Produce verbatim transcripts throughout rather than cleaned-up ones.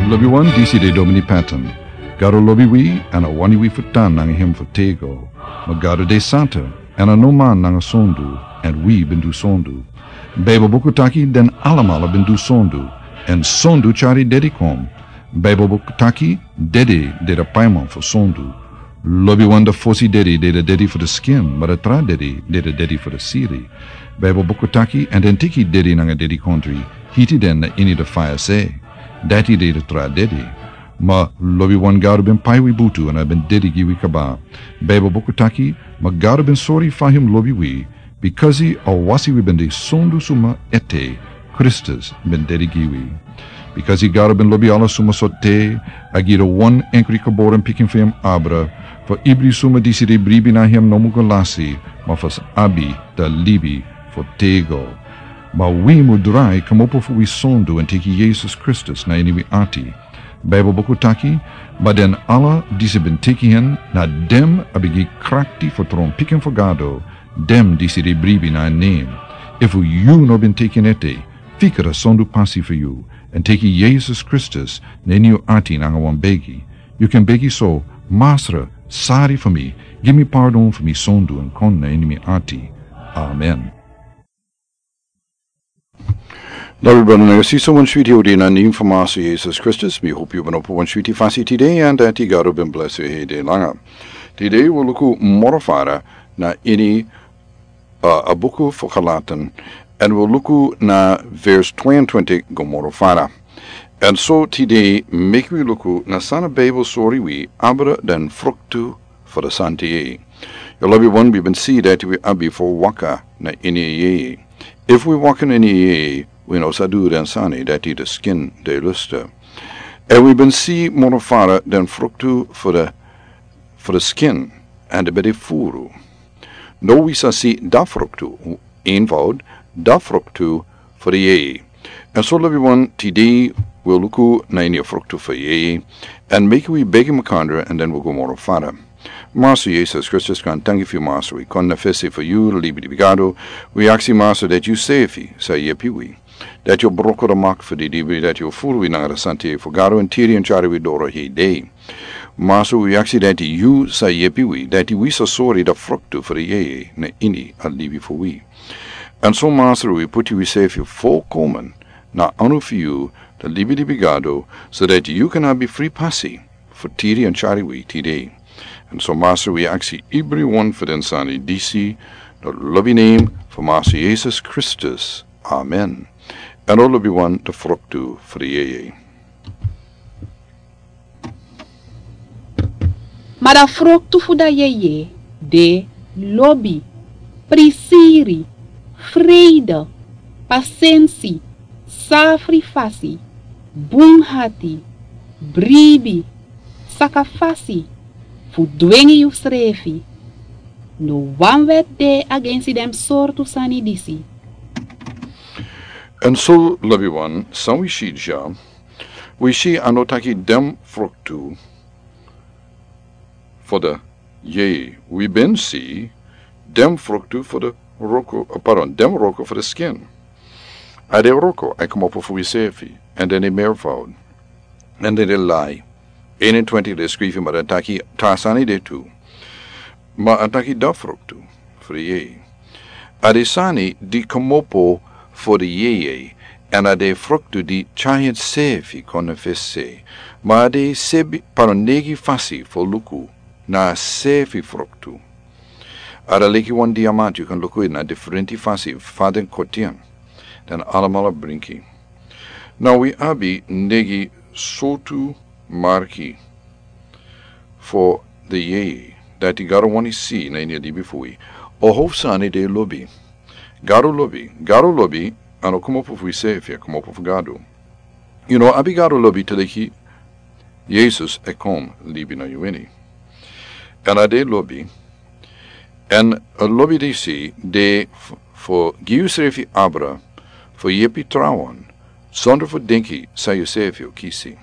Lobi wan, disi de Domini Patton. Gado lobi wi, èn a wani wi fu tan nanga hem fu tego. Ma Gado de santa, èn a no man nanga sondu, èn wi ben du sondu. Baibel buku taki den alamala ben du sondu, èn sondu tyari dedi kon. Baibel buku taki dedi de de paiman fu sondu. Lobi wan, de fosi dedi de de dedi fu de skin, ma de tra dedi de de dedi fu de siri. Baibel buku taki, èn den teki dedi nanga dedikondri, hiti den na ini de faya se. Dati de de tra dedi. Ma lobi wan, Gado ben pai wi butu èn a ben dedi gi wi kaba. Baibel buku taki, ma Gado ben sori fa hem lobi wi, bikasi a wasi wi ben de sondu suma ete, Kristus ben dedi gi wi. Bikasi Gado ben lobi ala suma so te, a gi de wan enkri geboren pikin fu hem abra, fu ibri suma disi de bribi na hem no mu go lasi, ma fu sa abi de libi fu tego. Ma wi mu drai komopo fu wi sondu èn teki Yesus Kristus na ini wi ati. Baibel buku taki, ma den ala disi ben teki hen, na den a ben gi krakti fu tron pikin fu Gado, den disi de bribi na en nen. Efu yu no ben teki en ete, fika de sondu pasi fu yu, èn teki Yesus Kristus na ini yu ati nanga wan begi. Yu kan begi so: Masra, sari fu mi, gi mi pardon fu mi sondu èn kon na ini mi ati. Amen. Lobi brada nanga sisa, wan switi odi na nen fu Masra Yesus Kristus, mi hopi yu ben opo wan switi fasi tide, èn dati Gado ben blesi yu heri langa. Tide wi luku moro fara na ini, uh, a buku fu Galatan, èn wi luku na vers twenty-two go moro fara. Èn so tide meki wi luku na san a Baibel sori wi abra den fruktu fu de santa yeye. Yu lobi wan, wi ben si dati wi abi fu waka na ini a yeye. Efu wi waka na ini a yeye, wi no sa du den sani dati de skin de lustra. Èn wi ben si moro fara den fruktu fu de, fu de skin, èn de ben de furu. No wi sa si da fruktu, eenvoud, da fruktu fu de yeye. Èn so lobi wan, tide wi luku na ini a fruktu fu yeye, èn meki wi begi makandra, èn den wi go moro fara. Masra Yesus Kristus, kon, danki fu yu Masra, wi kon na fesi fu yu, libi di Gado. Wi aksi Masra dati yu sefi sa yepi wi, dati yu broko de mak fu di dibi, dati yu furu wi nanga de santa yeye fu Gado, èn tiri èn tyari wi doro hei dei. Masra, wi aksi dati yu sa yepi wi, dati wi sa sori de fruktu fu de yeye na ini a libi fu wi. Èn so Masra, wi puti wi sefi folkomen na anu fu yu, de libi di Gado, so dati yu kan abi fri pasi fu tiri èn tyari wi tide. Èn so Masra, wi aksi ibri wan fu den sani disi, de lobi nen fu Masra Yesus Kristus. Amen. Èn o lobi wan, de fruktu fu de yeye. Ma de fruktu fu de yeye de lobi, prisiri, freide, pasensi, safri fasi, bun hati, bribi, saka fasi, fu dwengi yusrefi. No wan wet de agensi den sortu sani disi. Èn so lobi wan, san wi si dya, wi si a no taki den fruktu fu de yeye. Wi ben si den fruktu fu de wroko, eh, pardon, den wroko fu de skin. A de wroko e komopo fu wi sefi, èn den de meervoud, èn den de lai. Eenentwintig de skrifi, ma den taki tra sani de tu. Ma a taki de fruktu fu de yeye. A de sani di komopo fu de yeye, èn a de fruktu di tyari ensefi kon na fesi. Ma a de sebi, pardon, negi fasi fu luku na sefi fruktu. A de leki wan diamanti, yu kan luku na diferenti fasi, fa den koti en. Den alamala bringi. Now wi abi negi sortu marki fu de yeye dati Gado wani si na ini a libi fu wi. A hofsani de lobi. Gado lobi, Gado lobi, a no komopo fu wi sefi, a komopo fu Gado. Yu no abi Gado lobi te leki Yesus e kon libi na yu ini. Èn a de lobi, èn a lobi disi de f-, fu gi yusrefi abra fu yepi trawan, sondro fu denki san yusefi o kisi.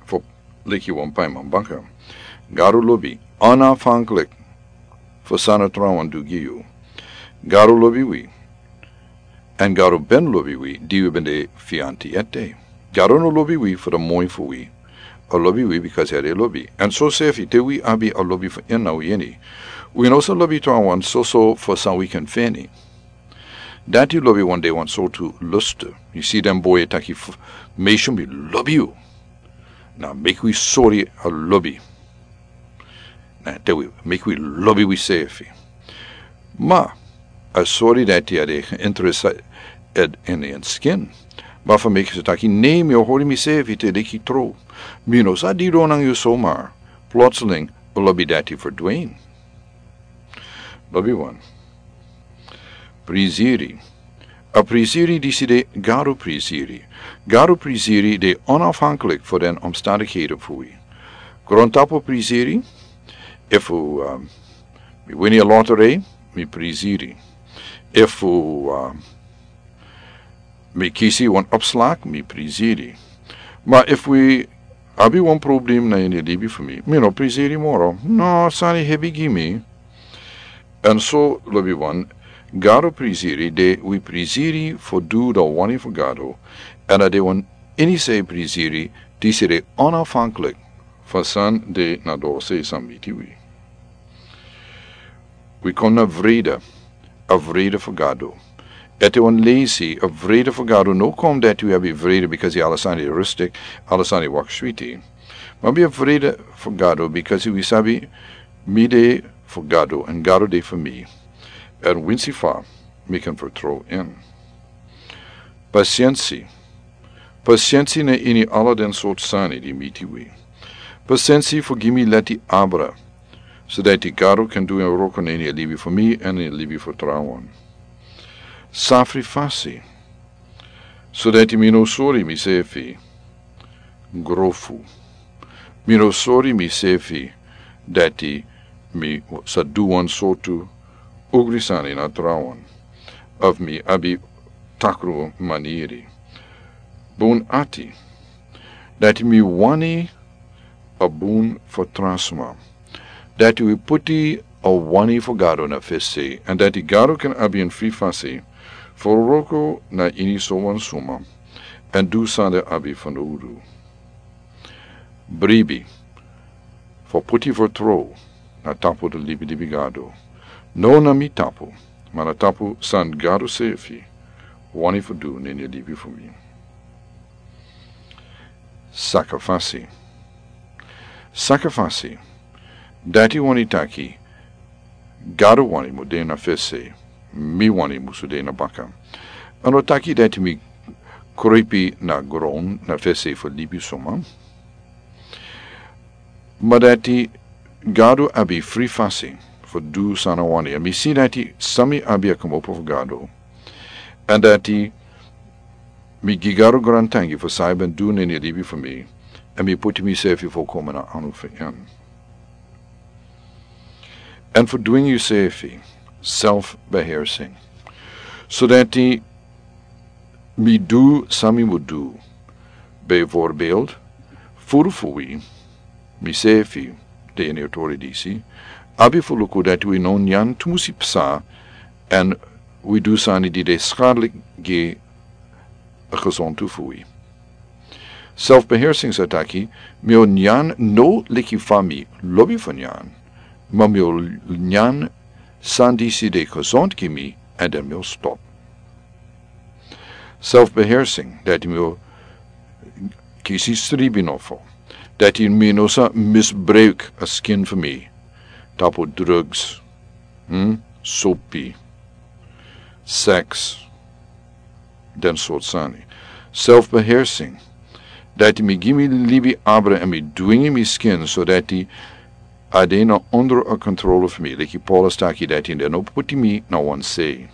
Fu leki wan paiman baka. Gado lobi onafhankelijk fu san a trawan du gi yu. Gado lobi wi, èn Gado ben lobi wi di wi ben de fianti ete. Gado no lobi wi fu di moi fu wi. A lobi wi bikasi a de lobi. Èn so sefi te wi abi a lobi fu en na wi ini, wi no sa lobi trawan soso fu san wi kan feni. Dati lobi wan de wan sortu lustu. Yu si den boi e taki fu, meisyo mi lobi yu. Na meki wi sori a lobi. Na te wi meki wi lobi wi sefi. Ma a sori dati a de interested in en skin. Ma fu meki sa taki nei mi o hori mi sefi te deki tro. Mi no sa didon nanga yu somar. Plotseling a lobi dati ferdwin. Lobi wan. Priziri. A priziri disi de garu priziri. Garu priziri de onafhanklik fu den omstandikhede fu wi. Grontapu priziri. Efu um, mi wini a lottery, mi priziri. Efu um, mi kisi wan opslak, mi priziri. Ma efu wi abi wan problem na ini libi fu mi, mi no priziri moro. No sani hebi gi mi. Èn so lobi wan, gado priziri de wi priziri fu du dan wani fu gado. Èn a de wan ini sei priziri disi de onafhanklik fu san de na dose san miti wi. Wi kon na vrede. A vrede fu gado. Ete wan lesi a vrede fu gado no kon dati wi abi vrede bikasi ala sani rustik, ala sani wak switi. Ma bi a vrede fu gado bikasi wi sabi mi de fu gado èn gado de fu mi. Èn winsi fa mi kan fertrow in. Pasiensi. Pasiensi na ini ala den sortu sani di miti wi. Pasiensi fu gi mi leti abra. Sodati gado kan du en wroko na ini a libi fu mi èn ini a libi fu trawan. Safri fasi. Sodati mi no sori mi sefi. Grofu. Mi no sori mi sefi dati mi sa du wan sortu ugri sani na trawan. Of mi abi takru maniri. Bun ati. Dati mi wani a bun fu transma. Dati wi puti a wani fu gado na fesi èn dati gado kan abi en fri fasi fu wroko na ini sowan suma. Èn du sani abi fanowdu. Bribi. Fu puti fertrow na tapu di libi libi gado. No na mi tapu ma na tapu san gado sefi wani fu du na ini a libi fu mi. Sakafasi. Sakafasi. Dati wani taki gado wani mu de na fesi. Mi wani musu de na baka. A no taki dati mi krepi na gron na fesi fu libi suma. Ma dati gado abi fri fasi fu du san a wani èn mi si dati san mi abi a komopo fu gado. Èn dati mi gi gado grantangi fu san a ben du na ini a libi fu mi. Èn mi puti misefi fu koma na anu fu en. Èn fu dwingi yusefi. Self behersing. Sodati mi du san mi mu du. Bijvoorbeeld furu fu wi misefi de ini a tori disi. Abi fu luku dati wi no nyan tumusi psa. Èn wi du sani di de skadlik gi a gesontu fu wi. Selfbeheersing sa taki mi o nyan no leki fa mi lobi fu nyan. Ma mi o nyan san disi de gesont gi mi. Èn den mi o stop. Selfbeheersing dati mi o kisi stribi nofo. Dati mi no sa misbruik a skin fu mi. Tapu drugs, hmm? Sopi, seks, den sort sani. Selfbeheersing dati mi gi mi libi abra èn mi dwingi mi skin sodati a de na ondro a kontrolo fu mi leki paulus taki dati den no puti mi na wan sei.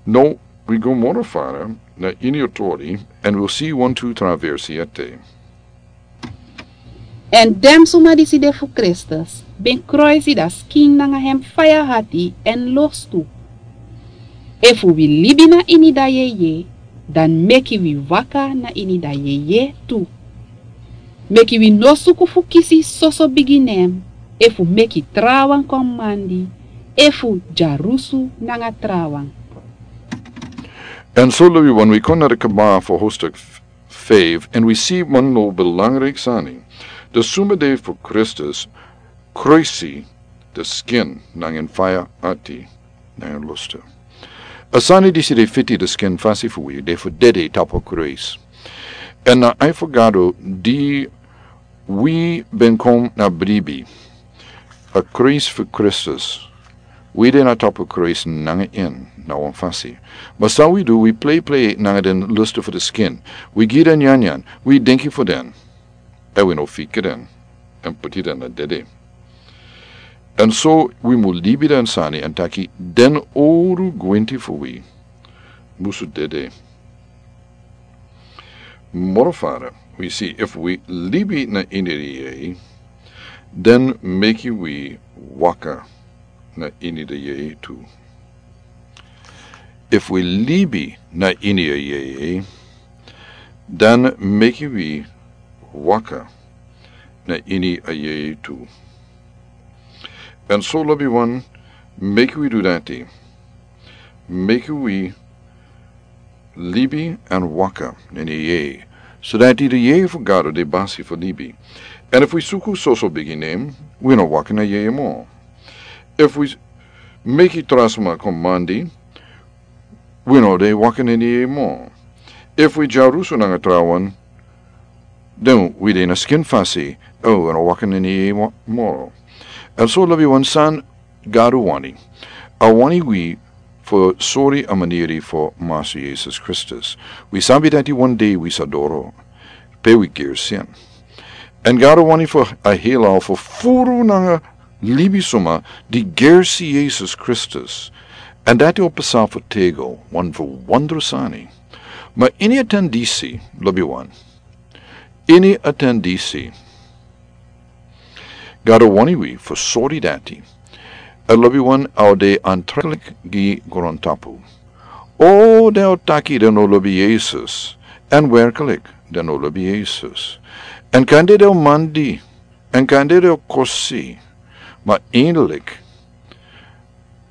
No, wi go moro fara na ini a tori èn wi si wantu traversi ete. Èn den suma disi de fu kristus ben kroisi dan skin nanga hem faya hati èn lostu. Efu wi libi na ini dan yeye dan meki wi waka na ini dan yeye tu. Meki wi no suku fu kisi soso bigi nen efu meki trawan kon mandi efu dyarusu nanga trawan. En so lobi wan wi kon na de kaba fo hostuk feiv, en wi si wan no belangrijk sani. De suma de fo Kristus, kruisi de skin nanga en faya ati nanga en lusta. A sani disi de fiti de skin fasi fo wi, de fo dede tapu kruis. En na ai fo Gado di wi ben kon na bribi. A kruis fo Kristus. Wi de na tapu kruis nanga en na wan fasi. Ma san wi du, wi plei plei nanga den lusta fo de skin. Wi gi den nyanyan, wi denki fo den. En wi no fika den. En puti den na dede. En so wi mu libi den sani en taki den oru gwinti fo wi musu dede. Moro fara, wi si efu wi libi na ini de yeye, den meki wi waka na ini de yeye tu. Efu wi libi na ini a yeye, den meki wi waka na ini a yeye tu. En so lobi wan, meki wi du dati. Meki wi libi en waka na ini a yeye. So dati de yeye fo Gado de basi fo libi. En efu wi suku soso bigi nen, wi no waka na yeye mo. Efu wi meki tra suma komandi, wi no de waka na ini a yeye mo. Efu wi dyarusu nanga trawan, den wi de na skin fasi, o wi no waka na ini a yeye mo-, moro. En so lobi wan san Gado wani. A wani wi fo sori a maniri fo Master Jesus Kristus. Wi sabi dati wan dei wi sa doro. Pe wi gersi en. En Gado wani fo a hela fo furu nanga libisuma di gersi Jesus Kristus. En dati o pasa fo tego wan fo wandru sani. Ma ini a ten disi, lobi wan. Ini a ten disi. Gado wani wi fo sori dati. A lobi wan a o de antreklik gi grontapu. O den o taki den no lobi Jesus. En werklik den no lobi Jesus. En kande den o mandi. En kande den o kosi. Ma innerlik.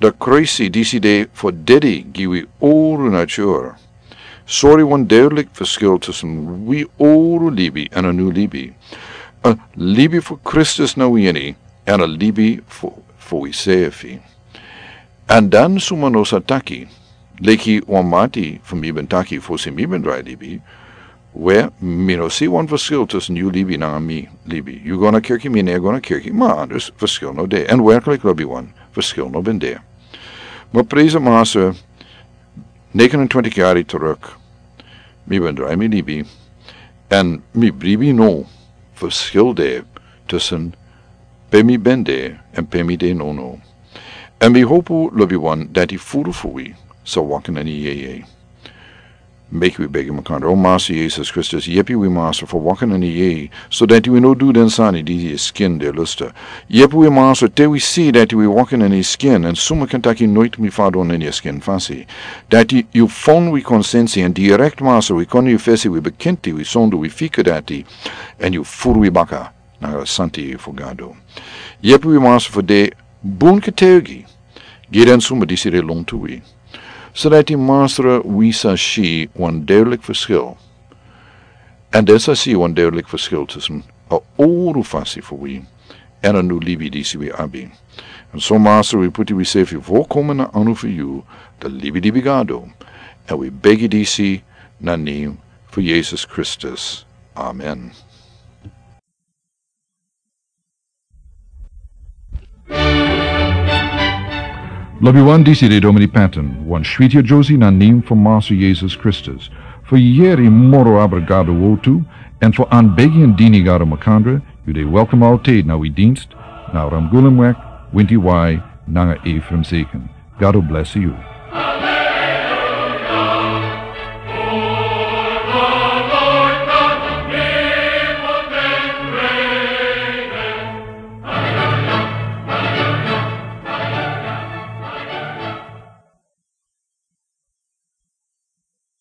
De kruisi disi de fo dede gi wi oru natur. Sori wan duidelijk verschil tussen wi oru libi en a nu libi. A libi fo Kristus na wi ini, en a libi fo, fo wi sefi. En dan suma no sa taki, leki wan mati fo mi ben taki fosi mi ben drai libi, we, mi no si wan verschil tussen yu libi nanga mi libi. Yu go na kerki, mi no e go na kerki, ma anders verschil no de. En werkelijk lobi wan, verschil no ben de. Ma prijs a Master, negenentwintig yari terug. Mi ben drai mi libi. En mi bribi no verschil de tussen pe mi ben de en pe mi de nono. En mi hopu lobi wan dati furu fo wi sa waka na ini a yeye. Meki wi begi makandra. O Master Jesus Kristus, yepi wi Master fo waka na ini a yeye, so dati wi no du den sani di a skin de lusta. Yepi wi Master te wi si dati wi waka na ini a skin, en suma kan taki noit mi fadon na ini a skin fasi. Dati yu fon wi konsensi, en direct Master wi kon na yu fesi, wi bekenti wi sondu, wi fika dati, en yu furu wi baka nanga a santi fo Gado. Yepi wi Master fo de bun ketegi gi den suma disi de lontu wi. So dati Master wi sa si wan duidelijk verschil. En den sa si wan duidelijk verschil tussen a oru fasi fo wi en a nu libi disi wi abi. En so Master wi puti wi sefi volkomen na anu fo yu, de libi libi Gado. En wi begi disi na nen fo Jesus Kristus. Amen. Lobi wan, disi de Domini Patton, wan switi a Josie na nen fo Master Jesus Kristus. Fo yeri moro abra Gado wortu, en fo anbegi en dini Gado makandra, yu de welkom altijd na wi dienst, na Ramgulumweg, winti wai, nanga Ephraim Zeken. Gado bless yu.